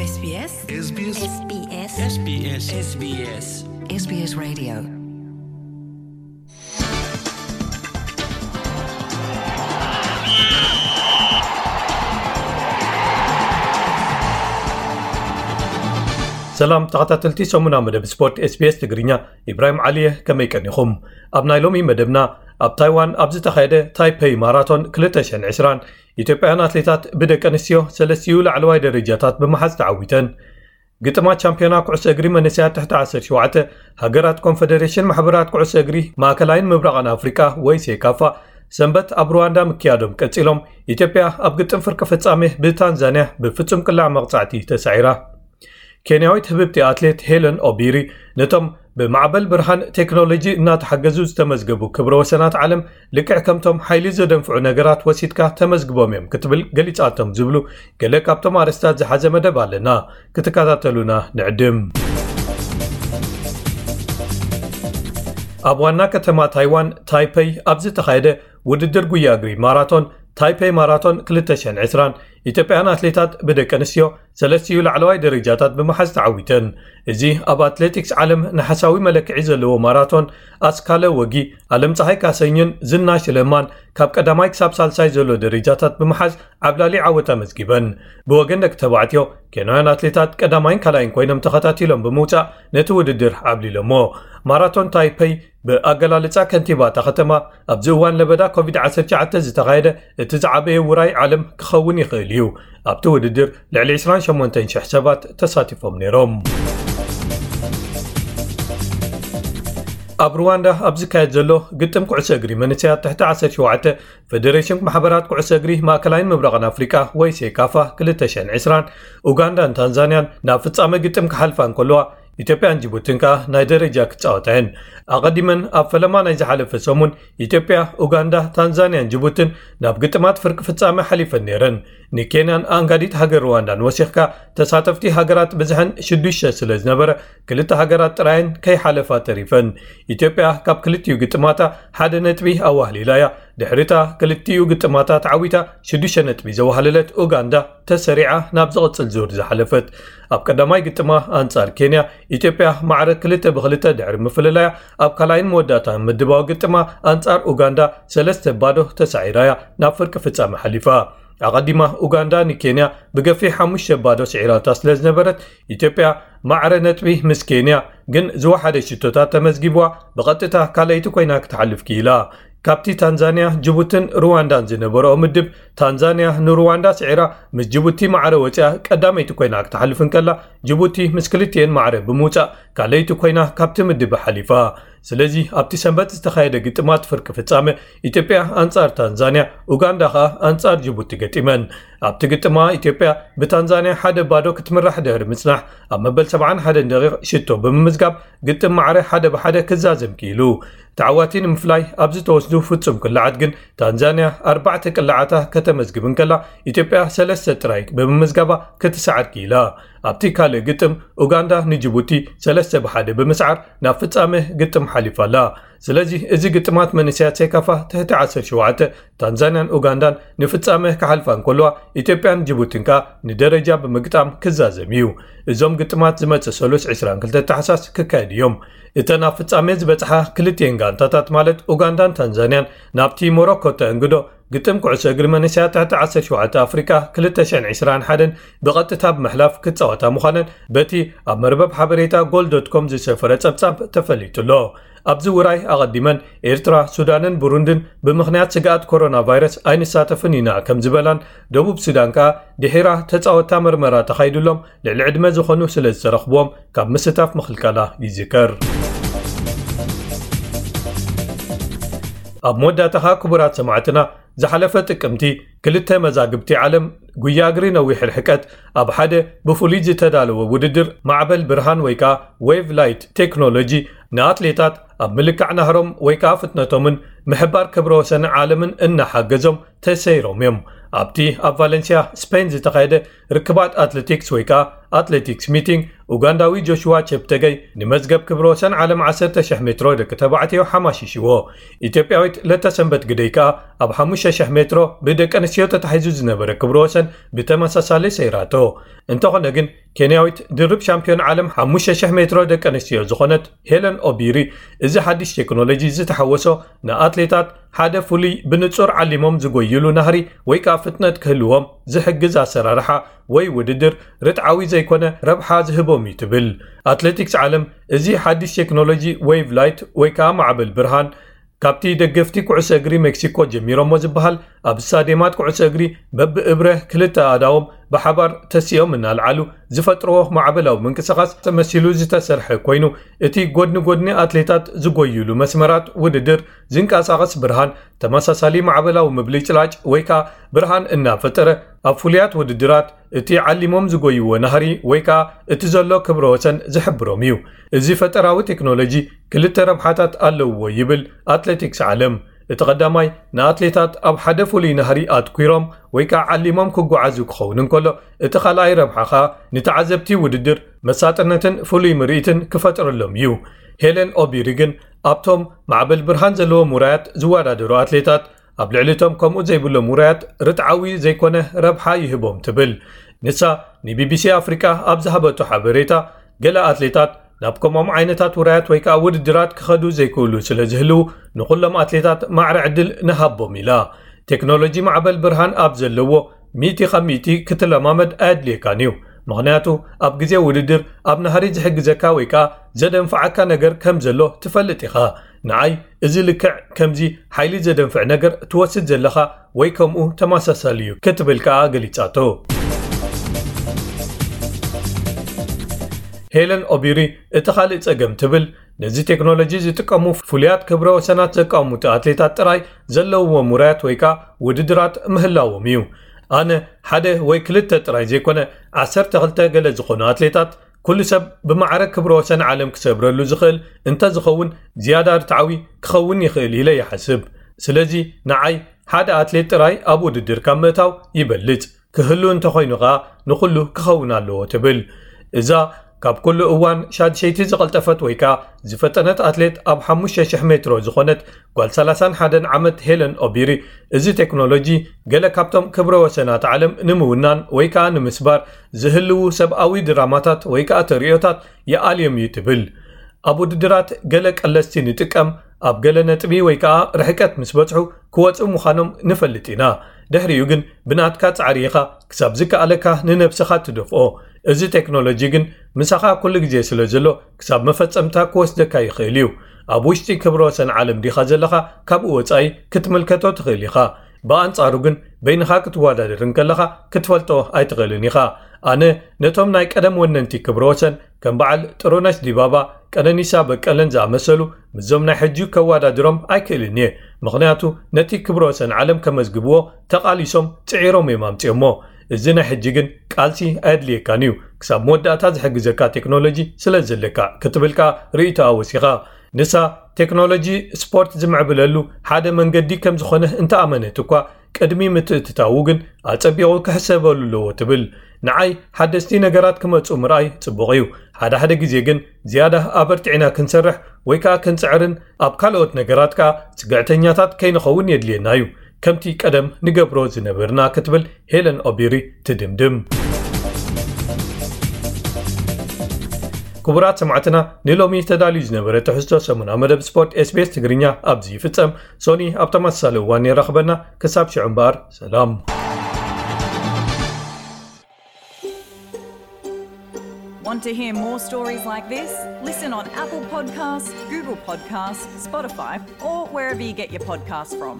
SBS SBS SBS SBS SBS SBS Radio. ሰላም ተኸታተልቲ ሰሙና መደብ ስፖርት SBS ትግርኛ፣ ኢብራሂም ዓሊየ፣ ከመይ ቀኒኹም? ኣብ ናይ ሎሚ መደብና፣ ኣብ ታይዋን ኣብ ዝተኻየደ ታይፐይ ማራቶን ክልተ ሽሕን ዕስራን፣ ኢትዮጵያውያን ኣትሌታት ብደቂ ኣንስትዮ ሰለስቲኡ ላዕለዋይ ደረጃታት ብምሓዝ ተዓዊተን። ግጥማት ቻምፒዮና ኩዕሶ እግሪ መንእሰያት ትሕቲ ዓሰርተ ሸውዓተ ሃገራት ኮንፈደሬሽን ማሕበራት ኩዕሶ እግሪ ማእከላይን ምብራቕን ኣፍሪቃ ወይ ሴካፋ ሰንበት ኣብ ሩዋንዳ ምክያዶም ቀጺሎም፣ ኢትዮጵያ ኣብ ግጥም ፍርቂ ፍጻሜ ብታንዛንያ ብፍጹም ቅላዕ መቕጻዕቲ ተሳዒራ። ኬንያዊት ህብብቲ ኣትሌት ሄለን ኦቢሪ ነቶም ብማዕበል ብርሃን ቴክኖሎጂ እናተሓገዙ ዝተመዝገቡ ክብረ ወሰናት ዓለም ልክዕ ከምቶም ሓይሊ ዘደንፍዑ ነገራት ወሲድካ ተመዝግቦም እዮም ክትብል ገሊጻቶም ዝብሉ ገለ ካብቶም ኣርእስታት ዝሓዘ መደብ ኣለና። ክትከታተሉና ንዕድም። ኣብ ዋና ከተማ ታይዋን ታይፐይ ኣብ ዝተኻየደ ውድድር ጉያ እግሪ ማራቶን፣ ታይፔይ ማራቶን ክልተ ሽሕን ዕስራን፣ ኢትዮጵያውያን ኣትሌታት ብደቂ ኣንስትዮ ሰለስቲኡ ላዕለዋይ ደረጃታት ብምሓዝ ተዓዊተን። እዚ ኣብ ኣትሌቲክስ ዓለም ናሕሳዊ መለክዒ ዘለዎ ማራቶን፣ ኣስካለ ወጊ፣ ኣለም ፀሃይ ካሰኝን ዝናሽ ለማን ካብ ቀዳማይ ክሳብ ሳልሳይ ዘሎ ደረጃታት ብምሓዝ ዓብላሊ ዓወት ኣመዝጊበን። ብወገን ደቂ ተባዕትዮ፣ ኬንያውያን ኣትሌታት ቀዳማይን ካልኣይን ኮይኖም ተኸታቲሎም ብምውፃእ ነቲ ውድድር ዓብሊሎሞ። ማራቶን ታይፔይ ብኣገላልጻ ከንቲባ እታ ከተማ፣ ኣብዚ እዋን ለበዳ ኮቪድ ዓሰርተ ትሽዓተ ዝተኻየደ እቲ ዝዓበየ ውራይ ዓለም ክኸውን ይኽእል እዩ። ኣብቲ ውድድር ልዕሊ ዕስራን ሸሞንተን ሽሕ ሰባት ተሳቲፎም ነይሮም። ኣብ ሩዋንዳ ኣብ ዝካየድ ዘሎ ግጥም ኩዕሶ እግሪ መንእሰያት ትሕቲ ዓሰርተ ሸውዓተ፣ ፈደሬሽን ማሕበራት ኩዕሶ እግሪ ማእከላይን ምብራቕን ኣፍሪቃ ወይ ሴካፋ ክልተ ሽሕን ዕስራን፣ ኡጋንዳን ታንዛንያን ናብ ፍጻመ ግጥም ክሓልፋ እንከለዋ፣ ኢትዮጵያን ጅቡትን ከኣ ናይ ደረጃ ክጻወታ እየን። ኣቐዲመን ኣብ ፈለማ ናይ ዝሓለፈ ሰሙን፣ ኢትዮጵያ፣ ኡጋንዳ፣ ታንዛንያን ጅቡትን ናብ ግጥማት ፍርቂ ፍጻመ ሓሊፈን ነይረን። ንኬንያን ኣንጋዲት ሃገር ሩዋንዳን ወሲኽካ፣ ተሳተፍቲ ሃገራት ብዝሐን ሽዱሽተ ስለ ዝነበረ፣ ክልተ ሃገራት ጥራየን ከይሓለፋ ተሪፈን። ኢትዮጵያ ካብ ክልቲኡ ግጥማታ ሓደ ነጥቢ ኣዋህሊላ እያ። ድሕሪታ ክልቲኡ ግጥማታ ተዓዊታ ሽዱሽተ ነጥቢ ዘዋህለለት ኡጋንዳ፣ ተሰሪዓ ናብ ዝቕጽል ዙር ዝሓለፈት። ኣብ ቀዳማይ ግጥማ ኣንጻር ኬንያ፣ ኢትዮጵያ ማዕረ ክልተ ብክልተ ድሕሪ ምፍልላያ፣ ኣብ ካልኣይን መወዳእታን ምድባዊ ግጥማ ኣንጻር ኡጋንዳ ሰለስተ ባዶ ተሳዒራ እያ ናብ ፍርቂ ፍጻመ ሓሊፋ። ኣቐዲማ ኡጋንዳ ንኬንያ ብገፊሕ ሓሙሽተ ባዶ ስዒራታ ስለ ዝነበረት፣ ኢትዮጵያ ማዕረ ነጥቢ ምስ ኬንያ ግን ዝወሓደ ሽቶታት ተመዝጊብዋ፣ ብቐጥታ ካልኣይቲ ኮይና ክትሓልፍ ክኢላ። ካብቲ ታንዛንያ፣ ጅቡትን ሩዋንዳን ዝነበረኦ ምድብ፣ ታንዛንያ ንሩዋንዳ ስዒራ ምስ ጅቡቲ ማዕረ ወፂኣ ቀዳመይቲ ኮይና ክትሓልፍ እንከላ፣ ጅቡቲ ምስ ክልቲኤን ማዕረ ብምውፃእ ካልኣይቲ ኮይና ካብቲ ምድብ ሓሊፋ። ስለዚ ኣብቲ ሰንበት ዝተኻየደ ግጥማት ፍርቂ ፍጻመ፣ ኢትዮጵያ ኣንጻር ታንዛንያ፣ ኡጋንዳ ከኣ ኣንጻር ጅቡቲ ገጢመን። ኣብቲ ግጥማ ኢትዮጵያ ብታንዛንያ ሓደ ባዶ ክትምራሕ ድሕሪ ምጽናሕ፣ ኣብ መበል ሰብዓን ሓደን ደቂቕ ሽቶ ብምምዝጋብ ግጥም ማዕረ ሓደ ብሓደ ክዛዘም ክኢሉ። ተዓዋቲ ንምፍላይ ኣብ ዝተወስዱ ፍጹም ቅላዓት ግን ታንዛንያ ኣርባዕተ ቅላዓታ ከተመዝግብ እንከላ፣ ኢትዮጵያ ሰለስተ ጥራይ ብምምዝጋባ ክትሰዓር ክኢላ። ኣብቲ ካልእ ግጥም ኡጋንዳ ንጅቡቲ ሰለስተ ብሓደ ብምስዓር ናብ ፍጻመ ግጥም ሓሊፋ ኣላ። ስለዚ እዚ ግጥማት መንእሰያት ሴካፋ ትሕቲ ዓሰርተ ሸውዓተ ታንዛንያን ኡጋንዳን ንፍጻመ ክሓልፋ እንከለዋ፣ ኢትዮጵያን ጅቡትን ከኣ ንደረጃ ብምግጣም ክዛዘም እዩ። እዞም ግጥማት ዝመጽእ ሰሉስ ዕስራን ክልተ ታሕሳስ ክካየዱ እዮም። እተን ኣብ ፍጻሜ ዝበጽሓ ክልቲኤን ጋንታታት ማለት ኡጋንዳን ታንዛንያን ናብቲ ሞሮኮ ተእንግዶ ግጥም ኩዕሶ እግሪ መንእሰያት ትሕቲ ዓሰርተ ሸውዓተ ኣፍሪቃ ክልተ ሽሕን ዕስራን ሓደን ብቐጥታ ብምሕላፍ ክጻወታ ምዃነን በቲ ኣብ መርበብ ሓበሬታ ጎል ዶት ኮም ዝሰፈረ ጸብጻብ ተፈሊጡ ኣሎ። ኣብዚ ውራይ ኣቐዲመን ኤርትራ፣ ሱዳንን ብሩንድን ብምኽንያት ስግኣት ኮሮና ቫይረስ ኣይንሳተፍን ኢና ከም ዝበላን፣ ደቡብ ሱዳን ከኣ ድሒራ ተጻወትታ መርመራ ተኻይዱሎም ልዕሊ ዕድመ ዝኾኑ ስለ ዝተረኽብዎም ካብ ምስታፍ ምኽልካላ ይዝከር። ኣብ መወዳእታ ከኣ ክቡራት ሰማዕትና፣ ዝሓለፈ ጥቅምቲ ክልተ መዛግብቲ ዓለም ጉያ እግሪ ነዊሕ ርሕቀት ኣብ ሓደ ብፍሉይ ዝተዳለወ ውድድር ማዕበል ብርሃን ወይ ከኣ ዌቭ ላይት ቴክኖሎጂ ንኣትሌታት ኣብ ምልካዕ ናህሮም ወይ ከኣ ፍጥነቶምን ምሕባር ክብረ ወሰን ዓለምን እናሓገዞም ተሰይሮም እዮም። ኣብቲ ኣብ ቫለንሲያ ስፔን ዝተኻየደ ርክባት ኣትሌቲክስ ወይ ከዓ ኣትሌቲክስ ሚቲንግ፣ ኡጋንዳዊ ጆሽዋ ቸፕተገይ ንመዝገብ ክብረ ወሰን ዓለም ዓሰርተ ሺሕ ሜትሮ ደቂ ተባዕትዮ ሓማሺሽዎ። ኢትዮጵያዊት ለተሰንበት ግደይ ከዓ ኣብ ሓሙሽተ ሺሕ ሜትሮ ብደቂ ኣንስትዮ ተታሒዙ ዝነበረ ክብረ ወሰን ብተመሳሳሊ ሰይራቶ። እንተኾነ ግን ኬንያዊት ድርብ ሻምፒዮን ዓለም ሓሙሽተ ሺሕ ሜትሮ ደቂ ኣንስትዮ ዝኾነት ሄለን ኦቢሪ፣ እዚ ሓድሽ ቴክኖሎጂ ዝተሓወሶ ንኣትሌታት ሓደ ፍሉይ ብንጹር ዓሊሞም ዝጎይሉ ናህሪ ወይ ከዓ ፍጥነት ክህልዎም ዝሕግዝ ኣሰራርሓ ወይ ውድድር ርትዓዊ ዘይኮነ ረብሓ ዝህቦም እዩ ትብል። ኣትሌቲክስ ዓለም እዚ ሓድሽ ቴክኖሎጂ ዌቭ ላይት ወይ ከዓ ማዕበል ብርሃን ካብቲ ደገፍቲ ኩዕሶ እግሪ ሜክሲኮ ጀሚሮሞ ዝበሃል ኣብ ስታዲየማት ኩዕሶ እግሪ በብእብረ ክልተ ኣእዳዎም ብሓባር ተሲኦም እናልዓሉ ዝፈጥርዎ ማዕበላዊ ምንቅስቓስ ተመሲሉ ዝተሰርሐ ኮይኑ፣ እቲ ጎድኒ ጎድኒ ኣትሌታት ዝጎይሉ መስመራት ውድድር ዝንቀሳቐስ ብርሃን ተመሳሳሊ ማዕበላዊ ምብልጭላጭ ወይ ከዓ ብርሃን እናፈጠረ ኣብ ፍሉያት ውድድራት እቲ ዓሊሞም ዝጎይዎ ናህሪ ወይ ከዓ እቲ ዘሎ ክብረ ወሰን ዝሕብሮም እዩ። እዚ ፈጠራዊ ቴክኖሎጂ ክልተ ረብሓታት ኣለውዎ ይብል ኣትሌቲክስ ዓለም። እቲ ቀዳማይ ንኣትሌታት ኣብ ሓደ ፍሉይ ናህሪ ኣትኲሮም ወይ ከዓ ዓሊሞም ክጓዓዙ ክኸውን እንከሎ፣ እቲ ካልኣይ ረብሓ ከዓ ንተዓዘብቲ ውድድር መሳጥነትን ፍሉይ ምርኢትን ክፈጥረሎም እዩ። ሄለን ኦቢሪ ግን ኣብቶም ማዕበል ብርሃን ዘለዎም ውራያት ዝወዳደሩ ኣትሌታት ኣብ ልዕሊ እቶም ከምኡ ዘይብሎም ውራያት ርትዓዊ ዘይኮነ ረብሓ ይህቦም ትብል። ንሳ ንቢቢሲ ኣፍሪቃ ኣብ ዝሃበቶ ሓበሬታ፣ ገለ ኣትሌታት ናብ ከምኦም ዓይነታት ውራያት ወይ ከዓ ውድድራት ክኸዱ ዘይክእሉ ስለ ዝህልዉ ንኹሎም ኣትሌታት ማዕረ ዕድል ንሃቦም ኢላ። ቴክኖሎጂ ማዕበል ብርሃን ኣብ ዘለዎ ሚእቲ ካብ ሚእቲ ክትለማመድ ኣየድልየካን እዩ። ምኽንያቱ ኣብ ግዜ ውድድር ኣብ ናህሪ ዝሕግዘካ ወይ ከዓ ዘደንፍዓካ ነገር ከም ዘሎ ትፈልጥ ኢኻ። ንዓይ እዚ ልክዕ ከምዚ ሓይሊ ዘደንፍዕ ነገር ትወስድ ዘለኻ ወይ ከምኡ ተመሳሳሊ እዩ ክትብል ከኣ ገሊጻቶ። ሄለን ኦቢሪ እቲ ካልእ ጸገም ትብል ነዚ ቴክኖሎጂ ዝጥቀሙ ፍሉያት ክብረ ወሰናት ዘቃምቱ ኣትሌታት ጥራይ ዘለውዎም ውራያት ወይ ከኣ ውድድራት ምህላዎም እዩ። ኣነ ሓደ ወይ ክልተ ጥራይ ዘይኮነ ዓሰርተ ክልተ ገለ ዝኾኑ ኣትሌታት ኩሉ ሰብ ብማዕረ ክብረ ወሰን ዓለም ክሰብረሉ ዝኽእል እንተዝኸውን ዝያዳ ርትዓዊ ክኸውን ይኽእል ኢለ ይሓስብ። ስለዚ ንዓይ ሓደ ኣትሌት ጥራይ ኣብ ውድድር ካብ ምእታው ይበልጽ። ክህሉ እንተኾይኑ ኸኣ ንኹሉ ክኸውን ኣለዎ ትብል። እዛ ካብ ኩሉ እዋን ሻድሸይቲ ዝቐልጠፈት ወይ ከኣ ዝፈጠነት ኣትሌት ኣብ ሓሙሽተ ሽሕ ሜትሮ ዝኾነት ጓል ሰላሳን ሓደን ዓመት ሄለን ኦቢሪ፣ እዚ ቴክኖሎጂ ገለ ካብቶም ክብረ ወሰናት ዓለም ንምውናን ወይ ከኣ ንምስባር ዝህልዉ ሰብኣዊ ድራማታት ወይ ከኣ ተርእዮታት ይኣልዮም እዩ ትብል። ኣብ ውድድራት ገለ ቀለስቲ ንጥቀም፣ ኣብ ገለ ነጥቢ ወይ ከኣ ርሕቀት ምስ በጽሑ ክወጽኡ ምዃኖም ንፈልጥ ኢና። ድሕሪኡ ግን ብናትካ ጻዕሪ ኢኻ ክሳብ ዝከኣለካ ንነብስኻ ትደፍኦ። እዚ ቴክኖሎጂ ግን ምሳኻ ኩሉ ግዜ ስለ ዘሎ ክሳብ መፈጸምታ ክወስደካ ይኽእል እዩ። ኣብ ውሽጢ ክብረ ወሰን ዓለም ዲኻ ዘለኻ ካብኡ ወጻኢ ክትምልከቶ ትኽእል ኢኻ። ብኣንጻሩ ግን በይንኻ ክትወዳደር እንከለኻ ክትፈልጦ ኣይትኽእልን ኢኻ። ኣነ ነቶም ናይ ቀደም ወነንቲ ክብረ ወሰን ከም በዓል ጥሩነሽ ዲባባ፣ ቀነኒሳ በቀለን ዝኣመሰሉ ምስዞም ናይ ሕጂ ከወዳድሮም ኣይክእልን እየ። ምኽንያቱ ነቲ ክብረ ወሰን ዓለም ከመዝግብዎ ተቓሊሶም ጽዒሮም እዮም ኣምጺኦሞ። እዚ ናይ ሕጂ ግን ቃልሲ ኣየድልየካን እዩ፣ ክሳብ መወዳእታ ዝሕግዘካ ቴክኖሎጂ ስለ ዘለካ ክትብል ከኣ ርእይቶኣ ወሲኻ። ንሳ ቴክኖሎጂ ስፖርት ዝምዕብለሉ ሓደ መንገዲ ከም ዝኾነ እንተኣመነት እኳ ቅድሚ ምትእትታዉ ግን ኣጸቢቑ ክሕሰበሉ ኣለዎ ትብል። ንዓይ ሓደስቲ ነገራት ክመጹ ምርኣይ ጽቡቕ እዩ። ሓደ ሓደ ግዜ ግን ዝያዳ ኣበርቲዕና ክንሰርሕ ወይ ከኣ ክንጽዕርን ኣብ ካልኦት ነገራት ከኣ ጽግዕተኛታት ከይንኸውን የድልየና እዩ። ከምቲ ቀደም ንገብሮ ዝነበርና ክትብል ሄለን ኦቢሪ ትድምድም። ክቡራት ሰማዕትና ንሎሚ ተዳልዩ ዝነበረ ትሕዝቶ ሰሙና መደብ ስፖርት SBS ትግርኛ ኣብዚ ይፍጸም። ሶኒ ኣብ ተመሳሳሊ እዋን የራኽበና። ክሳብ ሽዑ እምበኣር ሰላም። Want to hear more stories like this? Listen on Apple Podcasts, Google Podcasts, Spotify, or wherever you get your podcasts from.